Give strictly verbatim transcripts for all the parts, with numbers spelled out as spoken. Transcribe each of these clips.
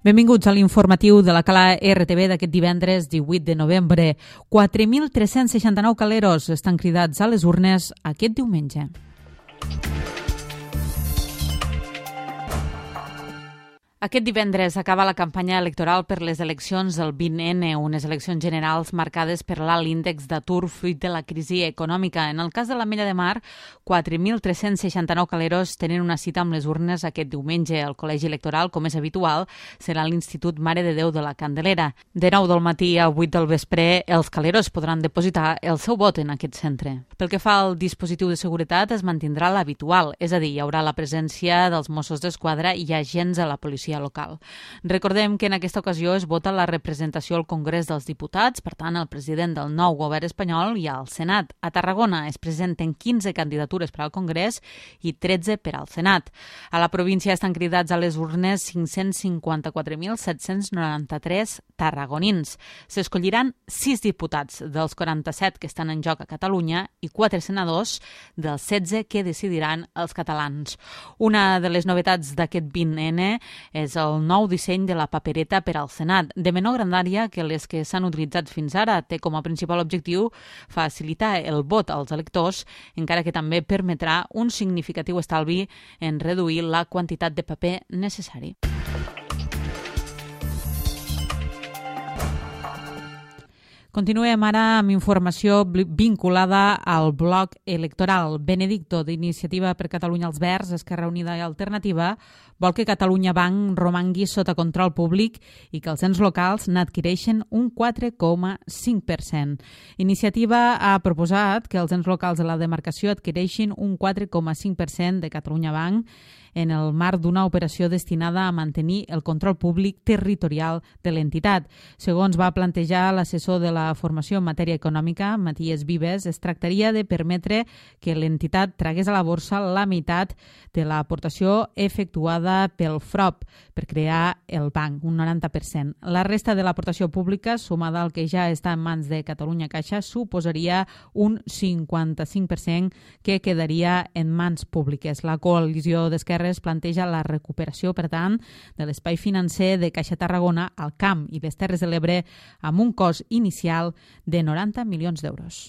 Benvinguts a l'informatiu de la Cala R T V d'aquest divendres divuit de novembre. quatre mil tres-cents seixanta-nou caleros estan cridats a les urnes aquest diumenge. Aquest divendres acaba la campanya electoral per les eleccions del vint ene, unes eleccions generals marcades per l'alt índex d'atur fruit de la crisi econòmica. En el cas de l'Ametlla de Mar, quatre mil tres-cents seixanta-nou caleros tenen una cita amb les urnes aquest diumenge. El col·legi electoral, com és habitual, serà l'Institut Mare de Déu de la Candelera. De nou del matí a vuit del vespre, els caleros podran depositar el seu vot en aquest centre. Pel que fa al dispositiu de seguretat, es mantindrà l'habitual, és a dir, hi haurà la presència dels Mossos d'Esquadra i agents de la policia local. Recordem que en aquesta ocasió es vota la representació al Congrés dels Diputats, per tant, el president del nou govern espanyol i al Senat. A Tarragona es presenten quinze candidatures per al Congrés i tretze per al Senat. A la província estan cridats a les urnes cinc-cents cinquanta-quatre mil set-cents noranta-tres tarragonins. S'escolliran sis diputats dels quaranta-set que estan en joc a Catalunya i quatre senadors dels setze que decidiran els catalans. Una de les novetats d'aquest vint ene és el nou disseny de la papereta per al Senat, de menor grandària que les que s'han utilitzat fins ara. Té com a principal objectiu facilitar el vot als electors, encara que també permetrà un significatiu estalvi en reduir la quantitat de paper necessari. Continuem ara amb informació vinculada al bloc electoral. Benedicto, d'Iniciativa per Catalunya als Verds, Esquerra Unida i Alternativa, vol que Catalunya Banc romangui sota control públic i que els ens locals n'adquireixen un quatre coma cinc per cent. Iniciativa ha proposat que els ens locals de la demarcació adquireixin un quatre coma cinc per cent de Catalunya Banc en el marc d'una operació destinada a mantenir el control públic territorial de l'entitat. Segons va plantejar l'assessor de la formació en matèria econòmica, Matías Vives, es tractaria de permetre que l'entitat tragués a la borsa la meitat de l'aportació efectuada pel F R O P per crear el banc, un noranta per cent. La resta de l'aportació pública, sumada al que ja està en mans de Catalunya Caixa, suposaria un cinquanta-cinc per cent que quedaria en mans públiques. La coalició d'esquerres planteja la recuperació, per tant, de l'espai financer de Caixa Tarragona al Camp i les Terres de l'Ebre amb un cost inicial de noranta milions d'euros.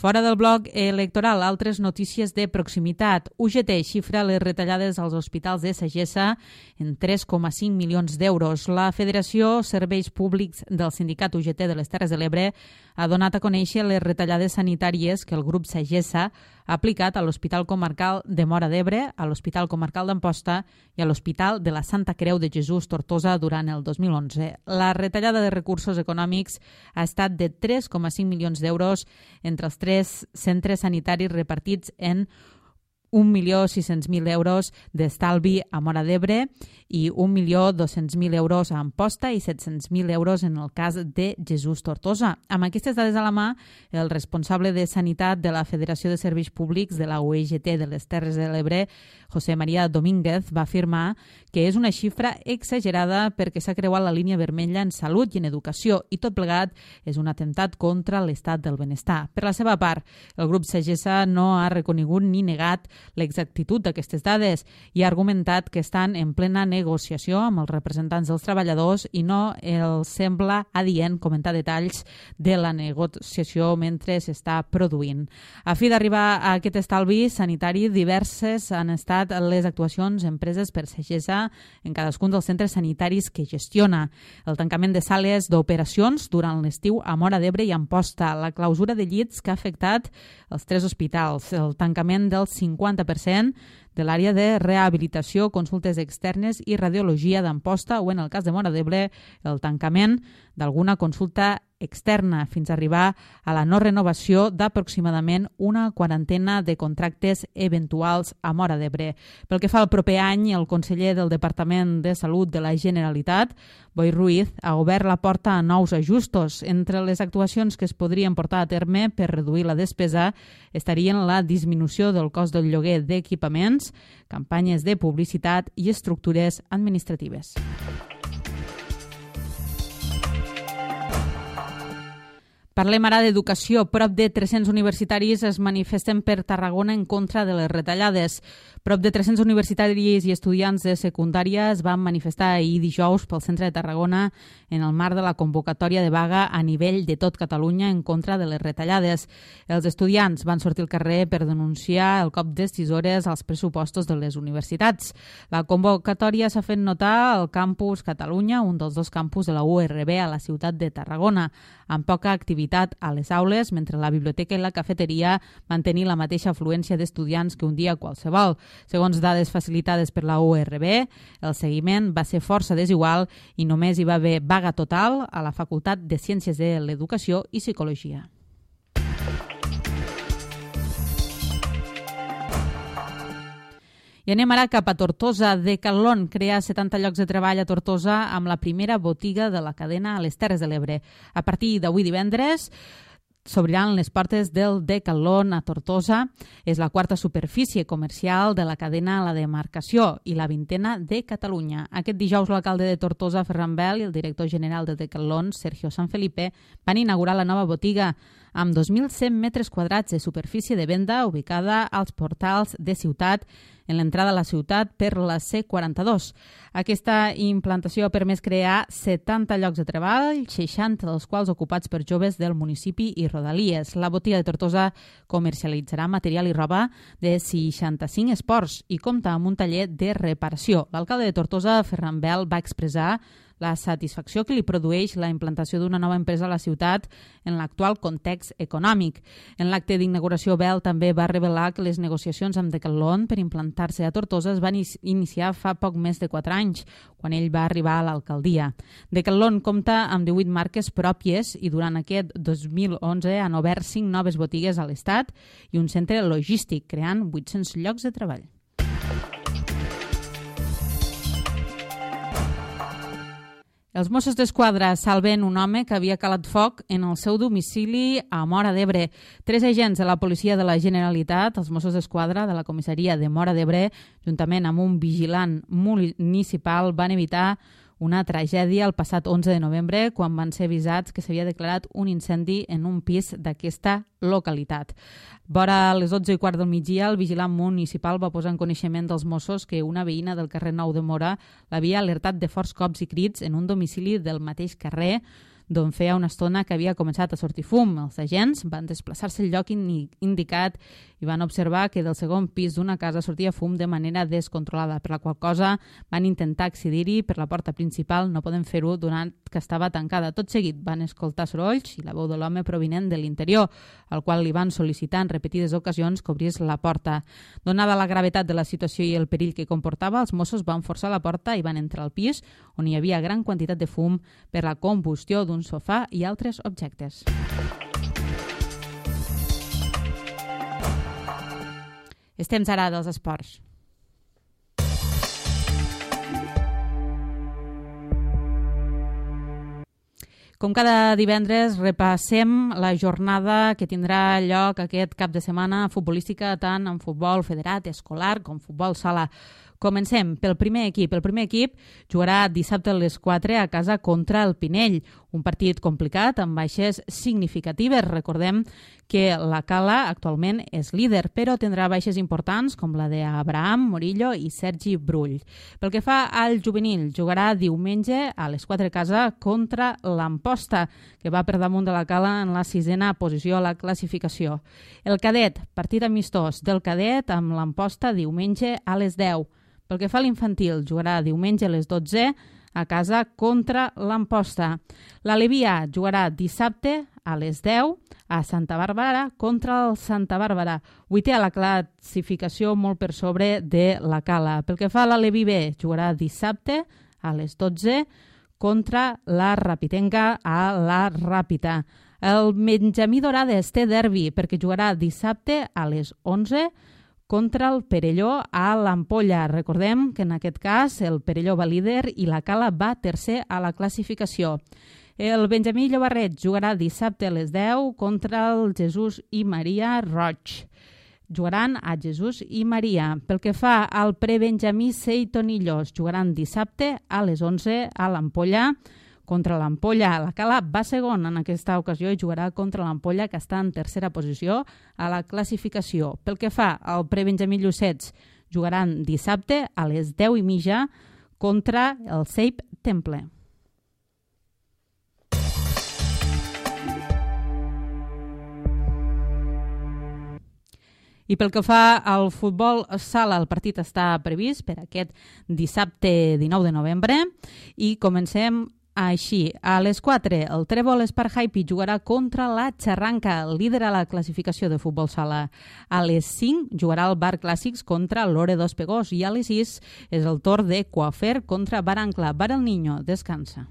Fora del bloc electoral, altres notícies de proximitat. U G T xifra les retallades als hospitals de Sagessa en tres coma cinc milions d'euros. La Federació Serveis Públics del Sindicat U G T de les Terres de l'Ebre ha donat a conèixer les retallades sanitàries que el grup Sagessa ha aplicat a l'Hospital Comarcal de Móra d'Ebre, a l'Hospital Comarcal d'Amposta i a l'Hospital de la Santa Creu de Jesús Tortosa durant el dos mil onze. La retallada de recursos econòmics ha estat de tres coma cinc milions d'euros entre els tres centres sanitaris repartits en un milió sis-cents mil euros d'estalvi a Móra d'Ebre i un milió dos-cents mil euros a Amposta i set-cents mil euros en el cas de Jesús Tortosa. Amb aquestes dades a la mà, el responsable de Sanitat de la Federació de Serveis Públics de la U G T de les Terres de l'Ebre, José María Domínguez, va afirmar que és una xifra exagerada perquè s'ha creuat la línia vermella en salut i en educació i tot plegat és un atemptat contra l'estat del benestar. Per la seva part, el grup Sagessa no ha reconegut ni negat l'exactitud d'aquestes dades i ha argumentat que estan en plena negociació amb els representants dels treballadors i no els sembla adient comentar detalls de la negociació mentre s'està produint. A fi d'arribar a aquest estalvi sanitari, diverses han estat les actuacions empreses per Sagessa en cadascun dels centres sanitaris que gestiona. El tancament de sales d'operacions durant l'estiu a Móra d'Ebre i Amposta, la clausura de llits que ha afectat els tres hospitals, el tancament del cinquanta per cent de l'àrea de rehabilitació, consultes externes i radiologia d'Amposta o, en el cas de Móra d'Ebre, el tancament d'alguna consulta externa fins a arribar a la no renovació d'aproximadament una quarantena de contractes eventuals a Móra d'Ebre. Pel que fa al proper any, el conseller del Departament de Salut de la Generalitat, Boi Ruiz, ha obert la porta a nous ajustos. Entre les actuacions que es podrien portar a terme per reduir la despesa estarien la disminució del cost del lloguer d'equipaments, campanyes de publicitat i estructures administratives. Parlem ara d'educació. Prop de tres-cents universitaris es manifesten per Tarragona en contra de les retallades. Prop de tres-cents universitaris i estudiants de secundària es van manifestar ahir dijous pel centre de Tarragona en el marc de la convocatòria de vaga a nivell de tot Catalunya en contra de les retallades. Els estudiants van sortir al carrer per denunciar el cop d'estisores als pressupostos de les universitats. La convocatòria s'ha fet notar al campus Catalunya, un dels dos campus de la U R B a la ciutat de Tarragona, amb poca activitat a les aules, mentre la biblioteca i la cafeteria van tenir la mateixa afluència d'estudiants que un dia qualsevol. Segons dades facilitades per la U R B, el seguiment va ser força desigual i només hi va haver vaga total a la Facultat de Ciències de l'Educació i Psicologia. I anem ara cap a Tortosa. Decathlon crea setanta llocs de treball a Tortosa amb la primera botiga de la cadena a les Terres de l'Ebre. A partir d'avui divendres s'obriran les portes del Decathlon a Tortosa. És la quarta superfície comercial de la cadena a la demarcació i la vintena de Catalunya. Aquest dijous l'alcalde de Tortosa, Ferran Bel, i el director general de Decathlon, Sergio Sanfelipe, van inaugurar la nova botiga amb dos mil cent metres quadrats de superfície de venda ubicada als portals de Ciutat, en l'entrada a la ciutat per la C quaranta-dos. Aquesta implantació ha permès crear setanta llocs de treball, seixanta dels quals ocupats per joves del municipi i rodalies. La botiga de Tortosa comercialitzarà material i roba de seixanta-cinc esports i compta amb un taller de reparació. L'alcalde de Tortosa, Ferran Bel, va expressar la satisfacció que li produeix la implantació d'una nova empresa a la ciutat en l'actual context econòmic. En l'acte d'inauguració, Bel també va revelar que les negociacions amb Decathlon per implantar-se a Tortosa es van iniciar fa poc més de quatre anys, quan ell va arribar a l'alcaldia. Decathlon compta amb divuit marques pròpies i durant aquest dos mil onze han obert cinc noves botigues a l'estat i un centre logístic, creant vuit-cents llocs de treball. Els Mossos d'Esquadra salven un home que havia calat foc en el seu domicili a Móra d'Ebre. Tres agents de la Policia de la Generalitat, els Mossos d'Esquadra de la comissaria de Móra d'Ebre, juntament amb un vigilant municipal, van evitar una tragèdia el passat onze de novembre quan van ser avisats que s'havia declarat un incendi en un pis d'aquesta localitat. Vora les dotze i quart del migdia, el vigilant municipal va posar en coneixement dels Mossos que una veïna del carrer Nou de Móra l'havia alertat de forts cops i crits en un domicili del mateix carrer d'on feia una estona que havia començat a sortir fum. Els agents van desplaçar-se al lloc indicat i van observar que del segon pis d'una casa sortia fum de manera descontrolada, per la qual cosa van intentar accedir-hi per la porta principal, no poden fer-ho donat que estava tancada. Tot seguit van escoltar sorolls i la veu de l'home provinent de l'interior, al qual li van sol·licitar en repetides ocasions que obrís la porta. Donada la gravetat de la situació i el perill que comportava, els Mossos van forçar la porta i van entrar al pis, on hi havia gran quantitat de fum per la combustió d'un sofà i altres objectes. És temps ara dels esports. Com cada divendres, repassem la jornada que tindrà lloc aquest cap de setmana futbolística, tant en futbol federat, escolar, com futbol sala. Comencem pel primer equip. El primer equip jugarà dissabte a les quatre a casa contra el Pinell. Un partit complicat amb baixes significatives. Recordem que la Cala actualment és líder, però tindrà baixes importants com la d'Abraham Morillo i Sergi Brull. Pel que fa al juvenil, jugarà diumenge a les quatre a casa contra l'Amposta, que va per damunt de la Cala en la sisena posició a la classificació. El cadet, partit amistós del cadet amb l'Amposta diumenge a les deu. Pel que fa a l'infantil, jugarà diumenge a les dotze a casa contra l'Amposta. L'Alevià jugarà dissabte a les deu a Santa Bàrbara contra el Santa Bàrbara. Vuitè a la classificació, molt per sobre de la Cala. Pel que fa a l'Aleví B, jugarà dissabte a les dotze contra la Rapitenca a la Ràpita. El Benjamí Dorades té derbi perquè jugarà dissabte a les onze contra el Perelló a l'Ampolla. Recordem que en aquest cas el Perelló va líder i la Cala va tercer a la classificació. El Benjamí Llobarret jugarà dissabte a les deu contra el Jesús i Maria Roig. Jugaran a Jesús i Maria. Pel que fa al prebenjamí Seitonillos, jugaran dissabte a les onze a l'Ampolla contra l'Ampolla. La Cala va segon en aquesta ocasió i jugarà contra l'Ampolla, que està en tercera posició a la classificació. Pel que fa al prebenjamí Llucets, jugaran dissabte a les deu i mitja contra el Seip Temple. I pel que fa al futbol sala, el partit està previst per aquest dissabte dinou de novembre i comencem així. A les quatre, el Trèvol Espart Happy jugarà contra la Xarranca, líder a la classificació de futbol sala. A les cinc jugarà el Bar Clàssics contra l'Ore dos Pegós i a les sis és el torn de Coafer contra Bar Ancla. Bar El Niño descansa.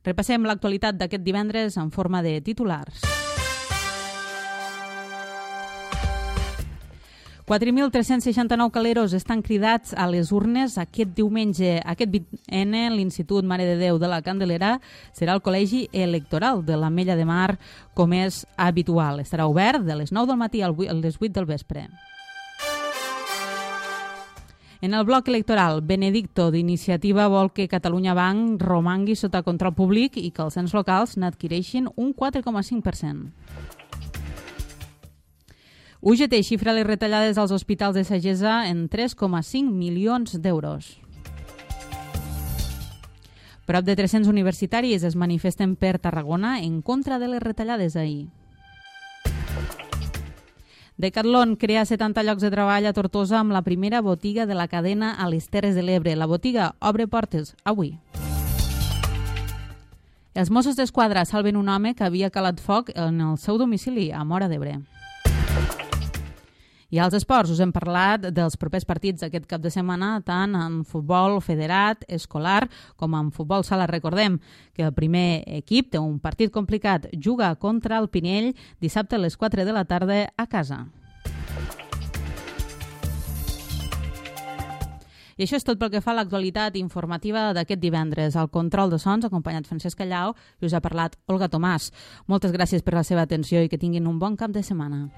Repassem l'actualitat d'aquest divendres en forma de titulars. quatre mil tres-cents seixanta-nou caleros estan cridats a les urnes aquest diumenge. Aquest vint ene, l'Institut Mare de Déu de la Candelera serà el col·legi electoral de l'Ametlla de Mar, com és habitual. Estarà obert de les nou del matí a les vuit del vespre. En el bloc electoral, Benedicto d'Iniciativa vol que Catalunya Banc romangui sota control públic i que els ens locals n'adquireixin un quatre coma cinc per cent. U G T xifra les retallades als hospitals de Sagessa en tres coma cinc milions d'euros. Prop de tres-cents universitaris es manifesten per Tarragona en contra de les retallades ahir. Decathlon crea setanta llocs de treball a Tortosa amb la primera botiga de la cadena a les Terres de l'Ebre. La botiga obre portes avui. Els Mossos d'Esquadra salven un home que havia calat foc en el seu domicili a Móra d'Ebre. I als esports us hem parlat dels propers partits d'aquest cap de setmana, tant en futbol federat, escolar, com en futbol sala. Recordem que el primer equip té un partit complicat. Juga contra el Pinell dissabte a les quatre de la tarda a casa. I això és tot pel que fa a l'actualitat informativa d'aquest divendres. Al control de sons, acompanyat Francesc Callau, i us ha parlat Olga Tomàs. Moltes gràcies per la seva atenció i que tinguin un bon cap de setmana.